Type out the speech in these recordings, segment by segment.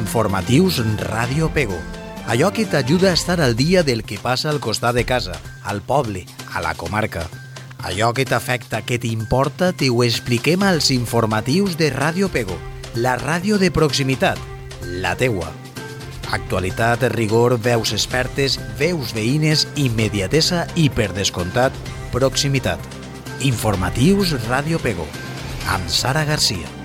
Informatius Ràdio Pego. Allò que t'ajuda a estar al dia del que passa al costat de casa, al poble, a la comarca. Allò que t'afecta, que t'importa, t'ho expliquem als informatius de Ràdio Pego, la ràdio de proximitat, la teua. Actualitat, rigor, veus expertes, veus veïnes, immediatesa i, per descomptat, proximitat. Informatius Ràdio Pego, amb Sara Garcia.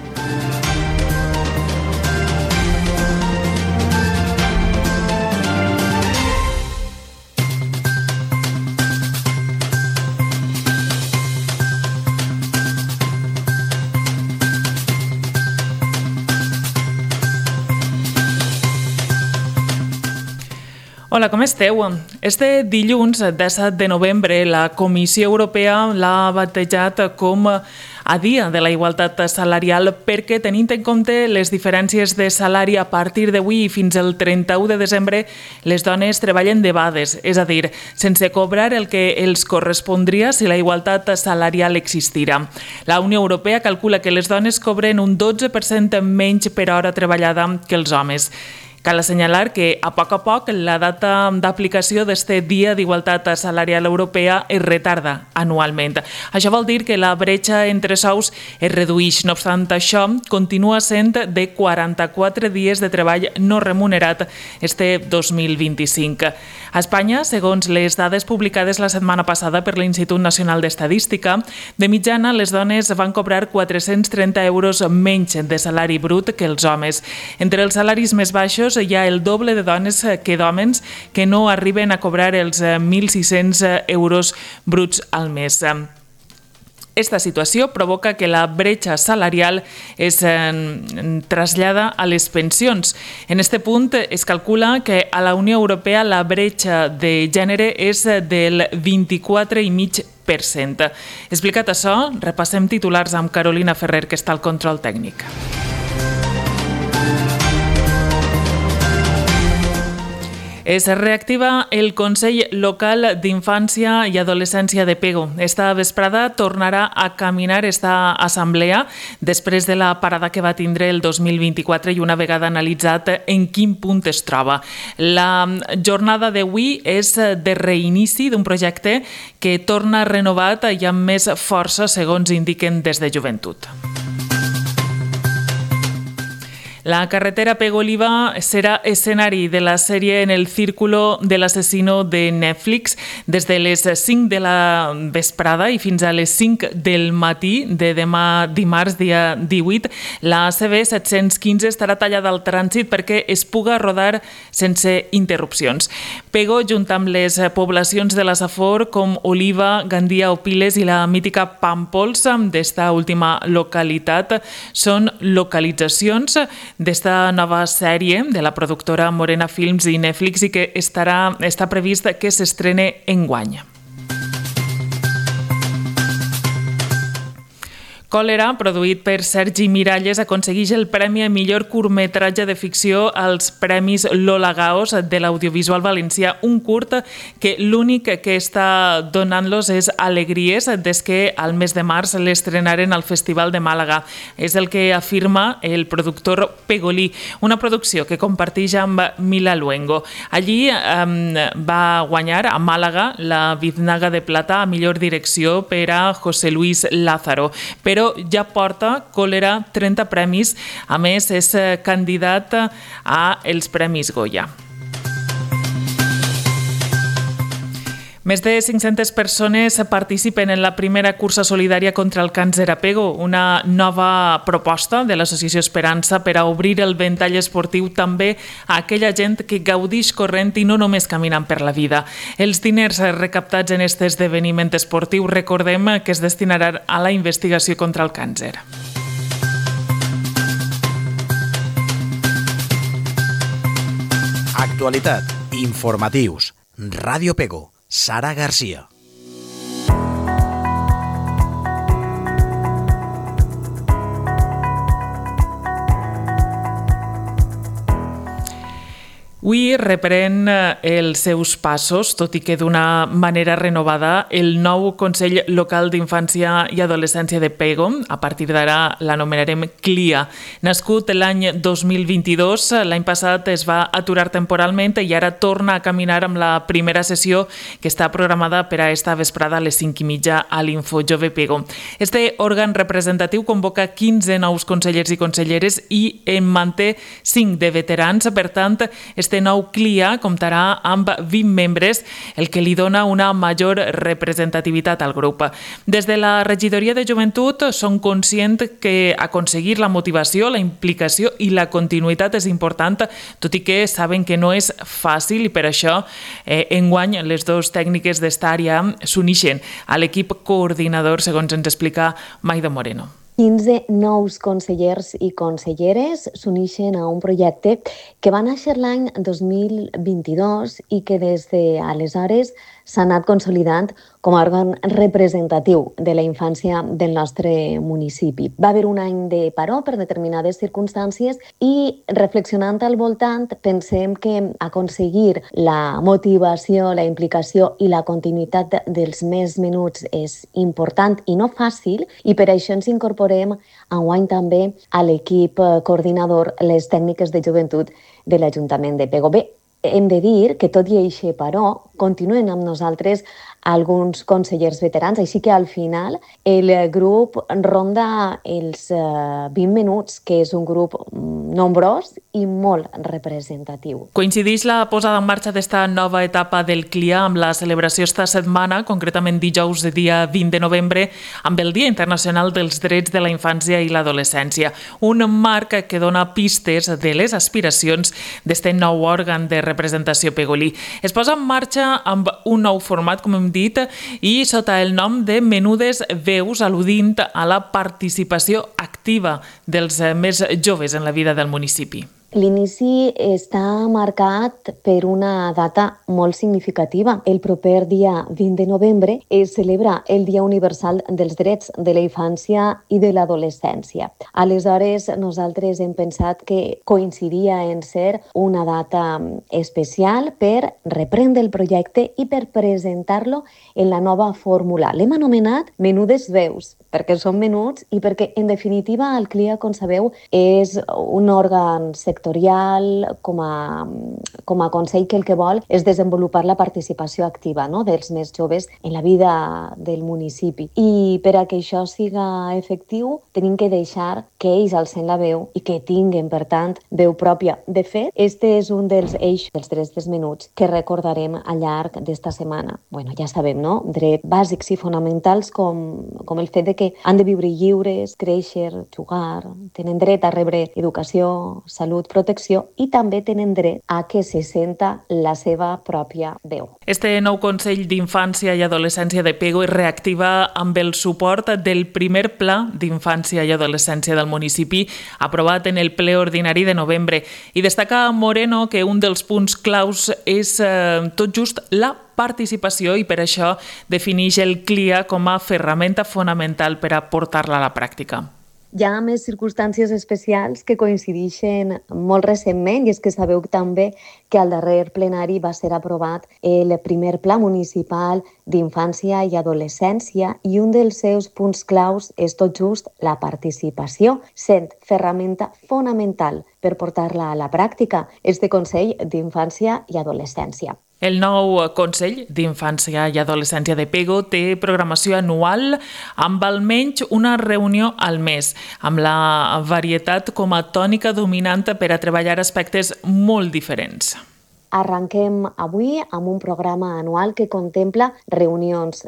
Hola, com esteu? Este dilluns, 17 de novembre, la Comissió Europea l'ha batejat com a Dia de la Igualtat Salarial perquè, tenint en compte les diferències de salari a partir d'avui i fins al 31 de desembre, les dones treballen debades, és a dir, sense cobrar el que els correspondria si la igualtat salarial existira. La Unió Europea calcula que les dones cobren un 12% menys per hora treballada que els homes. Cal assenyalar que, a poc, la data d'aplicació d'este Dia d'Igualtat Salarial Europea es retarda anualment. Això vol dir que la bretxa entre sous es redueix. No obstant això, continua sent de 44 dies de treball no remunerat este 2025. A Espanya, segons les dades publicades la setmana passada per l'Institut Nacional d'Estadística, de mitjana les dones van cobrar 430 euros menys de salari brut que els homes. Entre els salaris més baixos hi ha el doble de dones que d'homes que no arriben a cobrar els 1.600 euros bruts al mes. Esta situació provoca que la bretxa salarial es trasllada a les pensions. En este punt es calcula que a la Unió Europea la bretxa de gènere és del 24,5%. Explicat això, repassem titulars amb Carolina Ferrer, que està al control tècnic. Es reactiva el Consell Local d'Infància i Adolescència de Pego. Esta vesprada tornarà a caminar esta assemblea després de la parada que va tindre el 2024 i una vegada analitzat en quin punt es troba. La jornada d'avui és de reinici d'un projecte que torna renovat i amb més força, segons indiquen des de Joventut. La carretera Pego-Oliva serà escenari de la sèrie En el círculo del asesino de Netflix. Des de les 5 de la vesprada i fins a les 5 del matí de demà dimarts, dia 18, la CB 715 estarà tallada al trànsit perquè es puga rodar sense interrupcions. Pego, junt amb les poblacions de la Safor com Oliva, Gandia o Piles i la mítica Pàmpols d'esta última localitat, són localitzacions d'esta nova sèrie de la productora Morena Films i Netflix i que està previst que s'estrene enguany. Còlera, produït per Sergi Miralles, aconsegueix el Premi a millor curtmetratge de ficció als Premis Lola Gaos de l'audiovisual valencià, un curt que l'únic que està donant-los és alegries des que al mes de març l'estrenaren al Festival de Màlaga. És el que afirma el productor Pegolí, una producció que comparteix amb Mila Luengo. Allí va guanyar a Màlaga la Biznaga de Plata a millor direcció per a José Luis Lázaro, però ja porta Còlera 30 premis. A més, és candidat a els Premis Goya. Més de 500 persones participen en la primera cursa solidària contra el càncer a Pego, una nova proposta de l'Associació Esperança per a obrir el ventall esportiu també a aquella gent que gaudix corrent i no només caminant per la vida. Els diners recaptats en aquest esdeveniment esportiu, recordem que es destinaran a la investigació contra el càncer. Actualitat, informatius, Ràdio Pego, Sara Garcia. Avui reprèn els seus passos, tot i que d'una manera renovada, el nou Consell Local d'Infància i Adolescència de Pego. A partir d'ara l'anomenarem CLIA. Nascut l'any 2022, l'any passat es va aturar temporalment i ara torna a caminar amb la primera sessió que està programada per a esta vesprada a les 5:30 a l'Info Jove Pego. Este òrgan representatiu convoca 15 nous consellers i conselleres i en manté 5 de veterans. Per tant, este nou CLIA comptarà amb 20 membres, el que li dona una major representativitat al grup. Des de la Regidoria de Joventut són conscients que aconseguir la motivació, la implicació i la continuïtat és important, tot i que saben que no és fàcil i per això enguany les dues tècniques d'esta àrea s'uneixen a l'equip coordinador, segons ens explica Maida Moreno. 15 nous consellers i conselleres s'uneixen a un projecte que va néixer l'any 2022 i que des d'aleshores s'ha anat consolidant com a òrgan representatiu de la infància del nostre municipi. Va haver un any de paró per determinades circumstàncies i reflexionant al voltant pensem que aconseguir la motivació, la implicació i la continuïtat dels més menuts és important i no fàcil i per això ens incorporem enguany també a l'equip coordinador les tècniques de joventut de l'Ajuntament de Pego. Bé, hem de dir que tot i això, però, continuen amb nosaltres alguns consellers veterans, així que al final el grup ronda els 20 minuts, que és un grup nombrós i molt representatiu. Coincideix la posada en marxa d'esta nova etapa del CLIA amb la celebració esta setmana, concretament dijous, dia 20 de novembre, amb el Dia Internacional dels Drets de la Infància i l'Adolescència, un marc que dona pistes de les aspiracions d'este nou òrgan de representació pegolí. Es posa en marxa amb un nou format, com hem dit, i sota el nom de Menudes Veus, al·ludint a la participació activa dels més joves en la vida del municipi. L'inici està marcat per una data molt significativa. El proper dia 20 de novembre es celebra el Dia Universal dels Drets de la Infància i de l'Adolescència. Aleshores, nosaltres hem pensat que coincidia en ser una data especial per reprendre el projecte i per presentar-lo en la nova fórmula. L'hem anomenat Menudes Veus, perquè són menuts i perquè, en definitiva, el CLIA, com sabeu, és un òrgan sectorial com a consell que el que vol és desenvolupar la participació activa, no?, dels més joves en la vida del municipi. I per a que això siga efectiu, tenim que deixar que ells alcen la veu i que tinguen, per tant, veu pròpia. De fet, este és un dels eixos dels drets dels menuts que recordarem al llarg d'esta setmana. Bueno, ja sabem, no?, drets bàsics i fonamentals com el fet de que han de viure lliures, créixer, jugar, tenen dret a rebre educació, salut, protecció i també tenen dret a que se senta la seva pròpia veu. Este nou Consell d'Infància i Adolescència de Pego es reactiva amb el suport del primer Pla d'Infància i Adolescència del municipi aprovat en el ple ordinari de novembre. I destaca Moreno que un dels punts claus és tot just la participació i per això defineix el CLIA com a ferramenta fonamental per a portar-la a la pràctica. Hi ha més circumstàncies especials que coincideixen molt recentment i és que sabeu també que al darrer plenari va ser aprovat el primer Pla Municipal d'Infància i Adolescència i un dels seus punts claus és tot just la participació, sent ferramenta fonamental per portar-la a la pràctica, este Consell d'Infància i Adolescència. El nou Consell d'Infància i Adolescència de Pego té programació anual amb almenys una reunió al mes, amb la varietat com a tònica dominant per a treballar aspectes molt diferents. Arranquem avui amb un programa anual que contempla reunions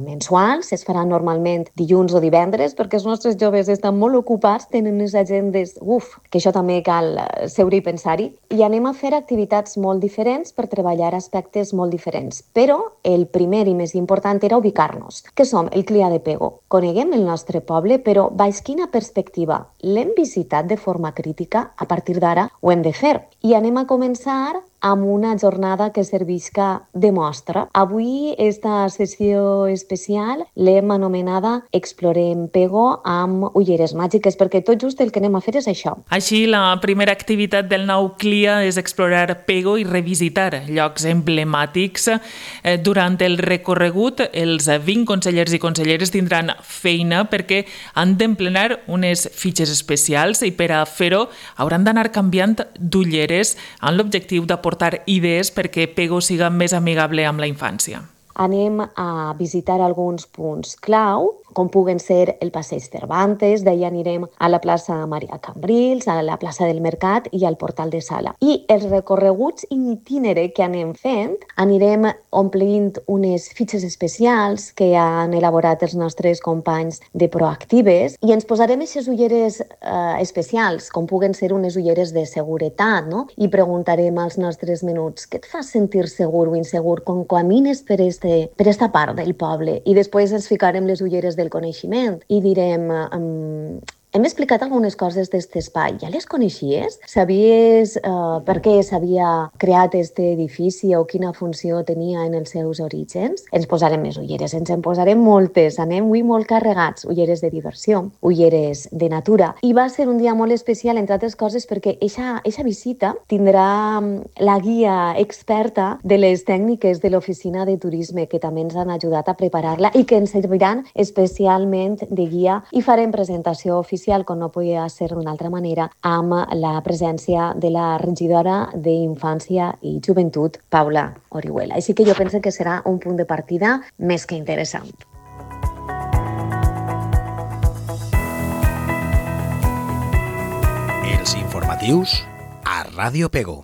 mensuals. Es faran normalment dilluns o divendres perquè els nostres joves estan molt ocupats, tenen unes agendes, que això també cal seure i pensar-hi. I anem a fer activitats molt diferents per treballar aspectes molt diferents. Però el primer i més important era ubicar-nos, que som el CLIA de Pego. Coneguem el nostre poble, però baix quina perspectiva? L'hem visitat de forma crítica? A partir d'ara ho hem de fer. I anem a començar amb una jornada que servisca de mostra. Avui, esta sessió especial l'hem anomenada Explorem Pego amb ulleres màgiques, perquè tot just el que anem a fer és això. Així, la primera activitat del nou CLIA és explorar Pego i revisitar llocs emblemàtics. Durant el recorregut, els 20 consellers i conselleres tindran feina perquè han d'emplenar unes fitxes especials i per a fer-ho hauran d'anar canviant d'ulleres amb l'objectiu d'aportar idees perquè Pego siga més amigable amb la infància. Anem a visitar alguns punts clau, com puguen ser el Passeig Cervantes, d'ahir anirem a la plaça Maria Cambrils, a la plaça del Mercat i al Portal de Sala. I els recorreguts in itinere que anem fent, anirem omplint unes fitxes especials que han elaborat els nostres companys de Proactives i ens posarem aquestes ulleres especials, com puguen ser unes ulleres de seguretat, no? I preguntarem als nostres menuts, què et fa sentir segur o insegur quan camines per esta part del poble? I després ens ficarem les ulleres del coneixement i direm hem explicat algunes coses d'aquest espai. Ja les coneixies? Sabies per què s'havia creat aquest edifici o quina funció tenia en els seus orígens? Ens posarem més ulleres, ens en posarem moltes. Anem avui molt carregats. Ulleres de diversió, ulleres de natura. I va ser un dia molt especial, entre altres coses, perquè eixa visita tindrà la guia experta de les tècniques de l'Oficina de Turisme, que també ens han ajudat a preparar-la i que ens serviran especialment de guia i farem presentació oficial, com no podia ser d'una altra manera, amb la presència de la regidora d'Infància i Joventut, Paula Orihuela. Així que jo penso que serà un punt de partida més que interessant. Els informatius a Ràdio Pego.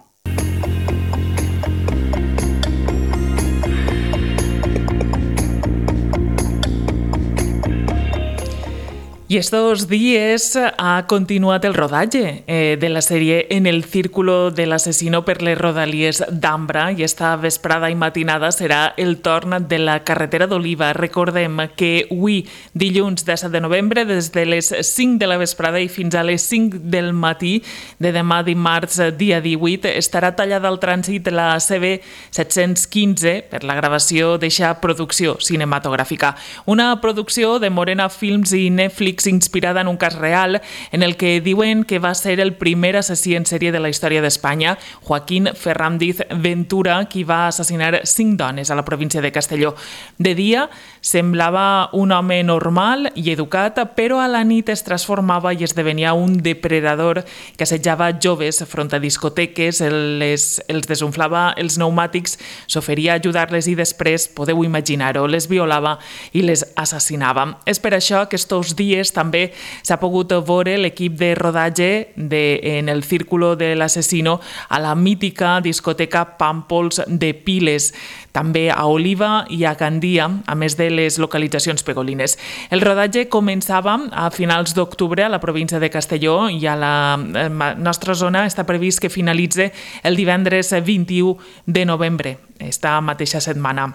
Y estos días ha continuat el rodatge de la sèrie En el círculo del asesino per les rodalies d'Ambra i esta vesprada i matinada serà el torn de la carretera d'Oliva. Recordem que avui, dilluns 17 de novembre, des de les 5 de la vesprada i fins a les 5 del matí de demà dimarts, dia 18, estarà tallada al trànsit la CB 715 per la gravació d'eixa producció cinematogràfica. Una producció de Morena Films i Netflix inspirada en un cas real en el que diuen que va ser el primer assassí en sèrie de la història d'Espanya, Joaquín Fernández Ventura, qui va assassinar 5 dones a la província de Castelló. De dia semblava un home normal i educat, però a la nit es transformava i esdevenia un depredador que assetjava joves front a discoteques, els desunflava els pneumàtics, s'oferia a ajudar-les i després, podeu imaginar-ho, les violava i les assassinava. És per això que estos dies també s'ha pogut veure l'equip de rodatge En el círculo del asesino a la mítica discoteca Pàmpols de Piles, també a Oliva i a Gandia, a més de les localitzacions pegolines. El rodatge començava a finals d'octubre a la província de Castelló i a la nostra zona està previst que finalitzi el divendres 21 de novembre, esta mateixa setmana.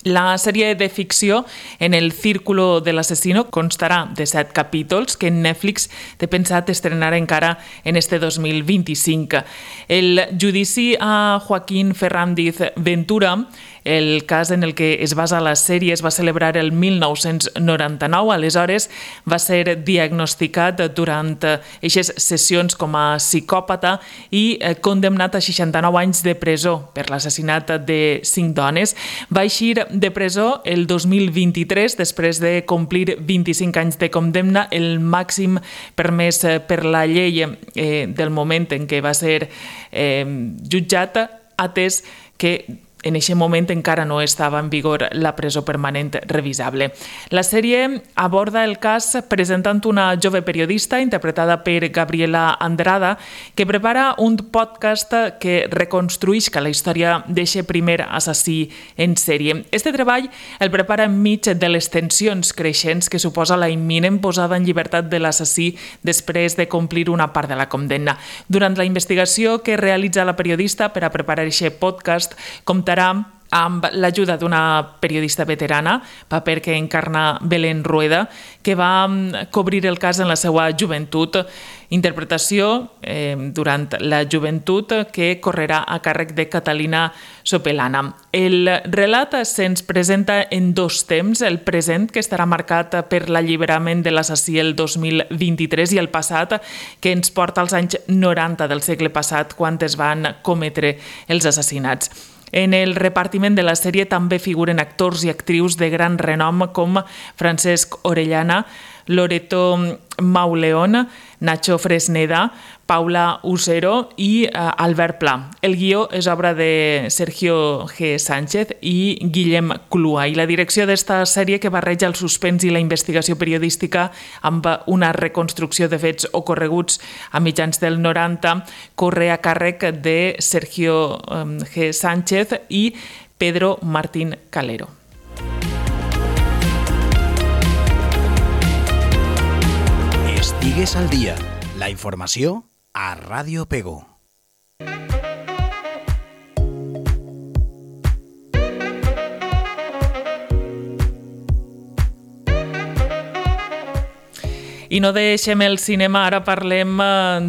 La sèrie de ficció En el círculo del asesino constarà de 7 capítols que Netflix té pensat estrenar encara en este 2025. El judici a Joaquín Fernández Ventura, el cas en el que es basa la sèrie, es va celebrar el 1999. Aleshores va ser diagnosticat durant eixes sessions com a psicòpata i condemnat a 69 anys de presó per l'assassinat de 5 dones. Va eixir de presó el 2023 després de complir 25 anys de condemna, el màxim permès per la llei del moment en què va ser jutjat, atès que en aquest moment encara no estava en vigor la presó permanent revisable. La sèrie aborda el cas presentant una jove periodista interpretada per Gabriela Andrada que prepara un podcast que reconstruïsca la història d'aquest primer assassí en sèrie. Este treball el prepara enmig de les tensions creixents que suposa la imminent posada en llibertat de l'assassí després de complir una part de la condemna. Durant la investigació que realitza la periodista per a preparar aquest podcast, comptarà amb l'ajuda d'una periodista veterana, paper que encarna Belén Rueda, que va cobrir el cas en la seva joventut. Interpretació durant la joventut que correrà a càrrec de Catalina Sopelana. El relat se'ns presenta en dos temps, el present, que estarà marcat per l'alliberament de l'assassí el 2023, i el passat, que ens porta als anys 90 del segle passat, quan es van cometre els assassinats. En el repartiment de la sèrie també figuren actors i actrius de gran renom com Francesc Orellana, Loreto Mauleón, Nacho Fresneda, Paula Usero i Albert Pla. El guió és obra de Sergio G. Sánchez i Guillem Clua, i la direcció d'esta sèrie, que barreja el suspens i la investigació periodística amb una reconstrucció de fets ocorreguts a mitjans del 90, corre a càrrec de Sergio G. Sánchez i Pedro Martín Calero. Estigues al dia. La informació a Ràdio Pego. I no deixem el cinema, ara parlem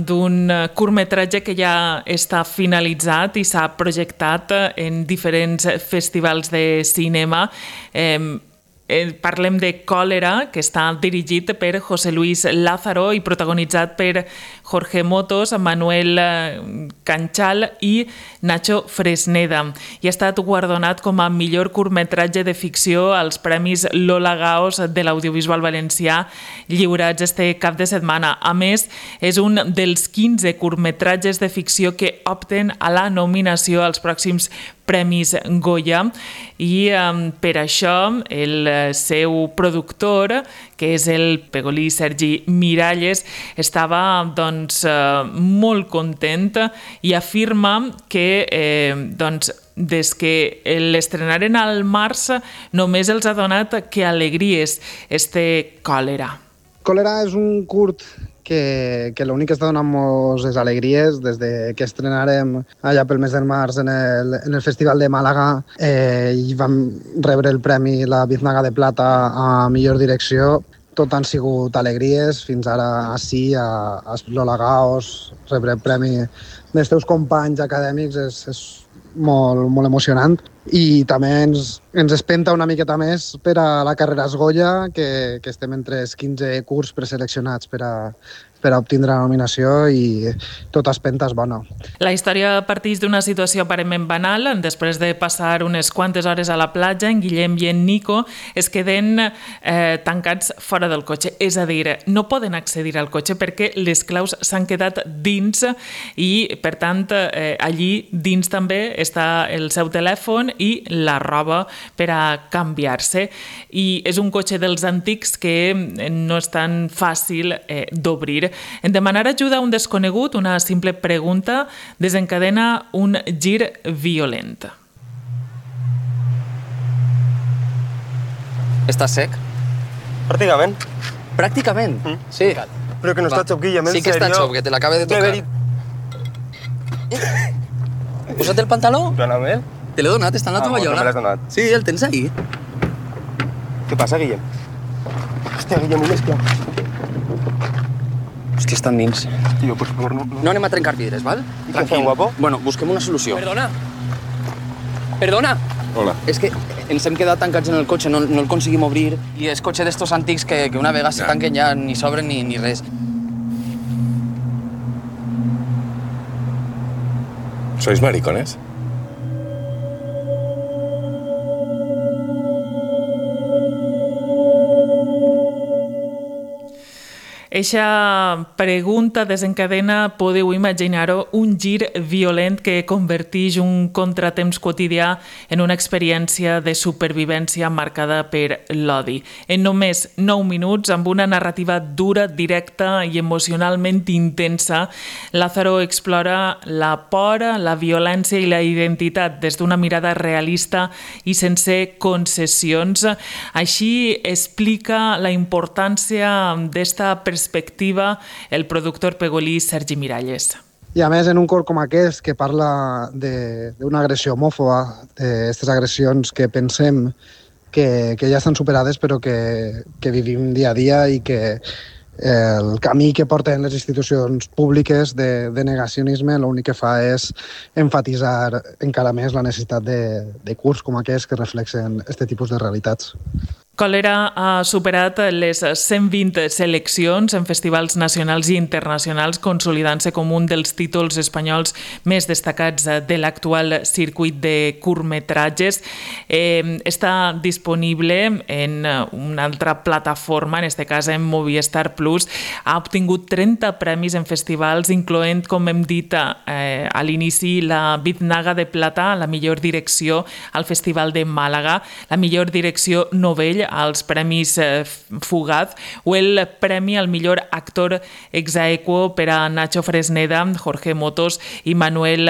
d'un curtmetratge que ja està finalitzat i s'ha projectat en diferents festivals de cinema. Parlem de Còlera, que està dirigit per José Luis Lázaro i protagonitzat per Jorge Motos, Manuel Canchal i Nacho Fresneda. I ha estat guardonat com a millor curtmetratge de ficció als Premis Lola Gaos de l'audiovisual valencià, lliurats este cap de setmana. A més, és un dels 15 curtmetratges de ficció que opten a la nominació als pròxims Premis Goya, i per això el seu productor, que és el pegolí Sergi Miralles, estava molt content i afirma que des que l'estrenaren al març només els ha donat que alegries este Còlera. Còlera és un curt que l'únic que està donant moltes és alegries. Des que estrenarem allà pel mes de març en el Festival de Màlaga i vam rebre el premi la Biznaga de Plata a millor direcció. Tot han sigut alegries. Fins ara ací, a Lola Gaos, rebre el premi dels teus companys acadèmics és molt emocionant. I també ens espenta una miqueta més per a la carrera Goya, que estem entre els 15 curts preseleccionats per a obtindre la nominació, i tota espenta és bona. La història parteix d'una situació aparentment banal. Després de passar unes quantes hores a la platja, en Guillem i en Nico es queden tancats fora del cotxe. És a dir, no poden accedir al cotxe perquè les claus s'han quedat dins, i per tant allí dins també està el seu telèfon i la roba per a canviar-se. I és un cotxe dels antics que no és tan fàcil d'obrir. En demanar ajuda a un desconegut, una simple pregunta desencadena un gir violent. ¿Estás sec? Pràcticament. Pràcticament? Sí. Però que no està xop, Guillem, en sí que serio. està xop, que te l'acaba de tocar. Posa't el pantaló. Dóna'm. Te l'he donat, està en la tovallola. No me l'has donat. Sí, el tens ahí. Què passa, Guillem? Hòstia, Guillem, un esclau. Hòstia, estan dins. Tio, per favor, no. No anem a trencar vidres, val? I què fem, guapo? Bueno, busquem una solució. Perdona. Perdona. Hola. És que ens hem quedat tancats en el cotxe, no el conseguim obrir, i és cotxe d'estos antics que una vegada se tanquen ja ni s'obren ni res. ¿Sois maricones? Eixa pregunta desencadena, podeu imaginar-ho, un gir violent que converteix un contratemps quotidià en una experiència de supervivència marcada per l'odi. En només 9 minuts, amb una narrativa dura, directa i emocionalment intensa, Lázaro explora la por, la violència i la identitat des d'una mirada realista i sense concessions. Així explica la importància d'esta perspectiva el productor pegolí Sergi Miralles. I a més, en un cor com aquest, que parla d'una agressió homòfoba, d'aquestes agressions que pensem que ja estan superades però que vivim dia a dia i que el camí que porten les institucions públiques de negacionisme l'únic que fa és emfatitzar encara més la necessitat de curs com aquests que reflexen aquest tipus de realitats. Còlera ha superat les 120 seleccions en festivals nacionals i internacionals, consolidant-se com un dels títols espanyols més destacats de l'actual circuit de curtmetratges. Està disponible en una altra plataforma, en aquest cas en Movistar Plus. Ha obtingut 30 premis en festivals, incloent, com hem dit a l'inici, la Biznaga de Plata, la millor direcció al Festival de Màlaga, la millor direcció novell als Premis Fugaz o el premi al millor actor ex aequo per a Nacho Fresneda, Jorge Motos i Manuel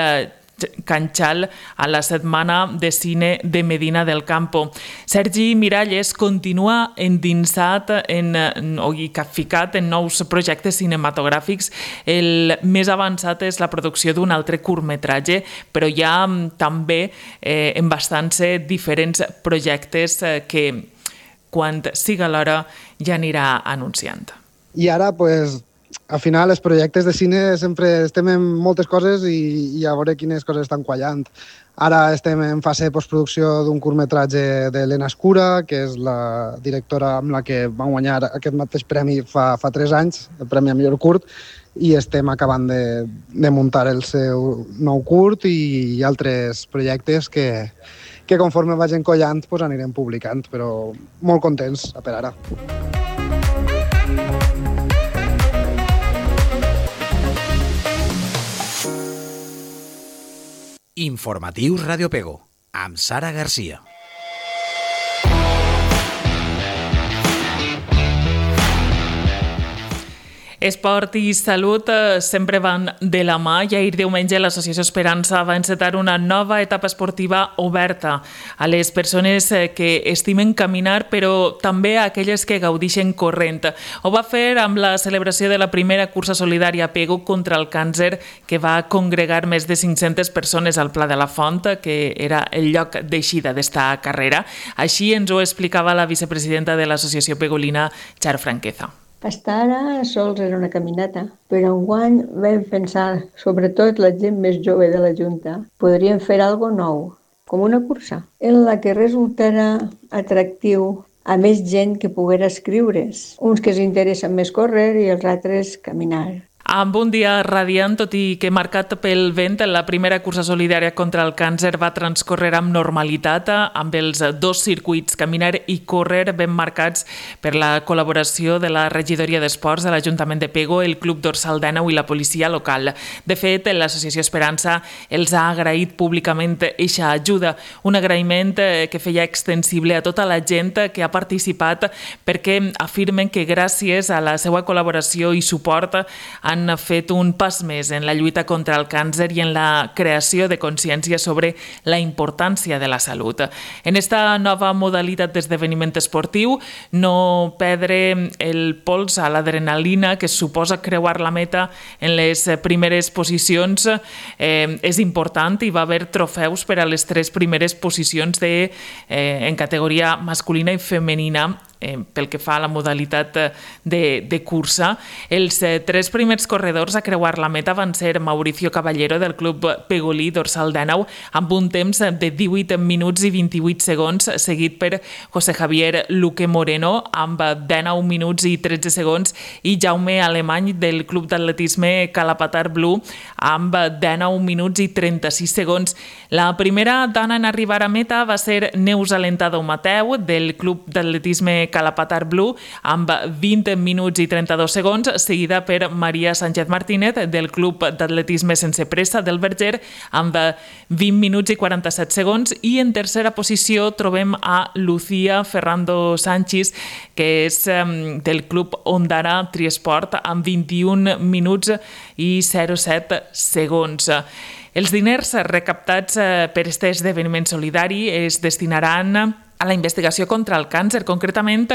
Canchal a la Setmana de Cine de Medina del Campo. Sergi Miralles continua endinsat i capficat en nous projectes cinematogràfics. El més avançat és la producció d'un altre curtmetratge, però hi ha també en bastants diferents projectes que quan siga l'hora ja anirà anunciant. I ara, al final, els projectes de cine sempre estem en moltes coses i a veure quines coses estan quallant. Ara estem en fase de postproducció d'un curtmetratge d'Helena Escura, que és la directora amb la que vam guanyar aquest mateix premi fa 3 anys, el Premi a Millor Curt, i estem acabant de muntar el seu nou curt i altres projectes que conforme vagin collant anirem publicant, però molt contents per ara. Informatius Radio Pego, amb Sara Garcia. Esport i salut sempre van de la mà i ahir diumenge l'Associació Esperança va encetar una nova etapa esportiva oberta a les persones que estimen caminar, però també a aquelles que gaudixen corrent. Ho va fer amb la celebració de la primera cursa solidària Pego contra el càncer, que va congregar més de 500 persones al Pla de la Font, que era el lloc d'eixida d'esta carrera. Així ens ho explicava la vicepresidenta de l'Associació Pegolina, Char Franqueza. Fins ara sols era una caminata, però enguany vam pensar, sobretot la gent més jove de la Junta, podríem fer alguna cosa nou, com una cursa, en la que resultarà atractiu a més gent que poguera escriure's, uns que s'interessen més córrer i els altres caminar. Amb un dia radiant, tot i que marcat pel vent, la primera cursa solidària contra el càncer va transcórrer amb normalitat, amb els 2 circuits, caminar i córrer, ben marcats per la col·laboració de la Regidoria d'Esports de l'Ajuntament de Pego, el Club Dorsal d'Àneu i la policia local. De fet, l'Associació Esperança els ha agraït públicament eixa ajuda, un agraïment que feia extensible a tota la gent que ha participat, perquè afirmen que gràcies a la seva col·laboració i suport han fet un pas més en la lluita contra el càncer i en la creació de consciència sobre la importància de la salut. En esta nova modalitat d'esdeveniment esportiu, no perdre el pols a l'adrenalina que suposa creuar la meta en les primeres posicions és important i va haver trofeus per a les 3 primeres posicions en categoria masculina i femenina pel que fa a la modalitat de cursa. Els 3 primers corredors a creuar la meta van ser Mauricio Caballero del Club Pegolí Dorsal d'Àneu amb un temps de 18 minuts i 28 segons, seguit per José Javier Luque Moreno amb 19 minuts i 13 segons i Jaume Alemany del Club d'Atletisme Calapatar Blue amb 19 minuts i 36 segons. La primera dona en arribar a meta va ser Neus Alentado Mateu del Club d'Atletisme Calapatar Blue amb 20 minuts i 32 segons, seguida per Maria Sánchez Martínez del Club d'Atletisme Sense Pressa del Verger amb 20 minuts i 47 segons i en tercera posició trobem a Lucía Ferrando Sánchez, que és del Club Ondara Triesport amb 21 minuts i 07 segons. Els diners recaptats per aquest esdeveniment solidari es destinaran a la investigació contra el càncer. Concretament,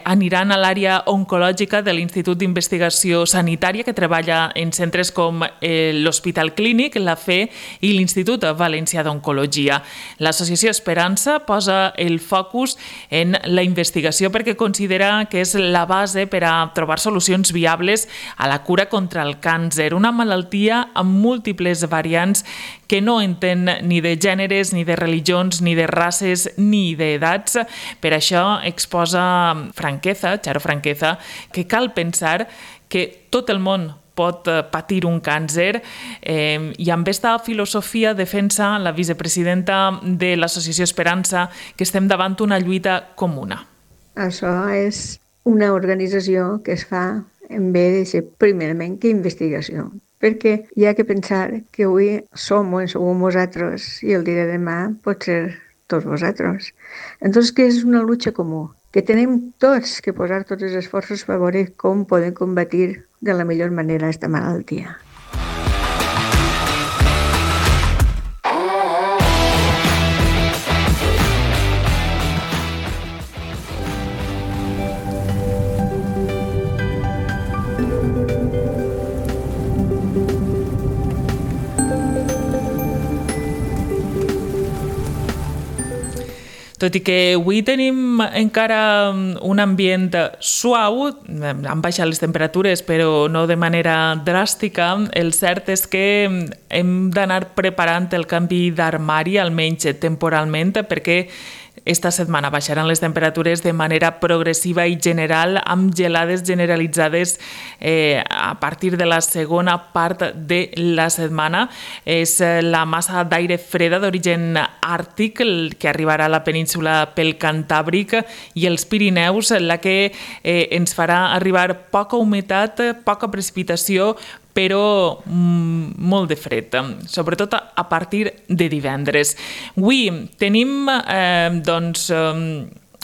aniran a l'àrea oncològica de l'Institut d'Investigació Sanitària, que treballa en centres com l'Hospital Clínic, la FE i l'Institut Valencià d'Oncologia. L'Associació Esperança posa el focus en la investigació perquè considera que és la base per a trobar solucions viables a la cura contra el càncer, una malaltia amb múltiples variants que no entén ni de gèneres, ni de religions, ni de races, ni d'edats. Per això exposa Charo Franqueza, que cal pensar que tot el món pot patir un càncer i amb aquesta filosofia defensa la vicepresidenta de l'Associació Esperança que estem davant una lluita comuna. Això és una organització que es fa en bé de ser primerament que investigació. Perquè hi ha que pensar que avui som o en sou vosaltres i el dia de demà pot ser tots vosaltres. Entonces, que és una lucha comú, que tenim tots que posar tots els esforços per veure com podem combatir de la millor manera aquesta malaltia. Tot i que avui tenim encara un ambient suau, han baixat les temperatures però no de manera dràstica, el cert és que hem d'anar preparant el canvi d'armari, almenys temporalment, perquè esta setmana baixaran les temperatures de manera progressiva i general, amb gelades generalitzades a partir de la segona part de la setmana. És la massa d'aire freda d'origen àrtic que arribarà a la península pel Cantàbric i els Pirineus, la que ens farà arribar poca humitat, poca precipitació, però molt de fred, sobretot a partir de divendres. Avui tenim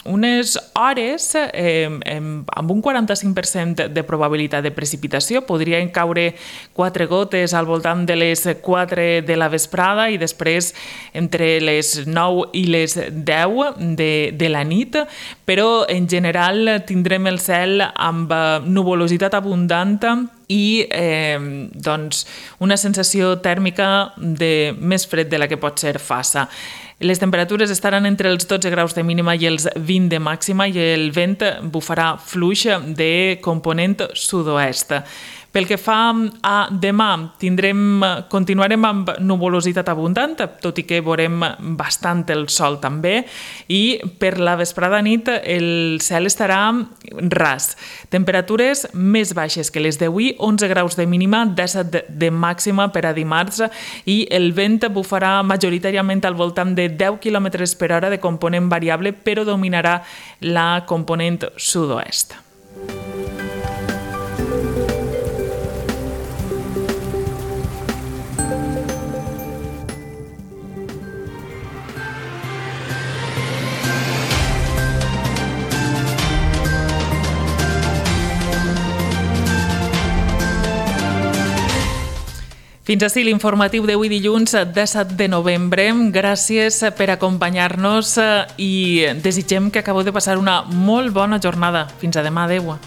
unes hores amb un 45% de probabilitat de precipitació. Podrien caure 4 gotes al voltant de les 4 de la vesprada i després entre les 9 i les 10 de la nit, però en general tindrem el cel amb nuvolositat abundant i una sensació tèrmica de més fred de la que pot ser Fassa. Les temperatures estaran entre els 12 graus de mínima i els 20 de màxima i el vent bufarà fluix de component sud-oest. Pel que fa a demà, continuarem amb nuvolositat abundant, tot i que veurem bastant el sol també, i per la vesprada nit el cel estarà ras. Temperatures més baixes que les d'avui, 11 graus de mínima, 17 de màxima per a dimarts, i el vent bufarà majoritàriament al voltant de 10 km per hora de component variable, però dominarà la component sud-oest. Fins ací l'informatiu d'avui dilluns 17 de novembre. Gràcies per acompanyar-nos i desitgem que acabeu de passar una molt bona jornada. Fins a demà, adeu.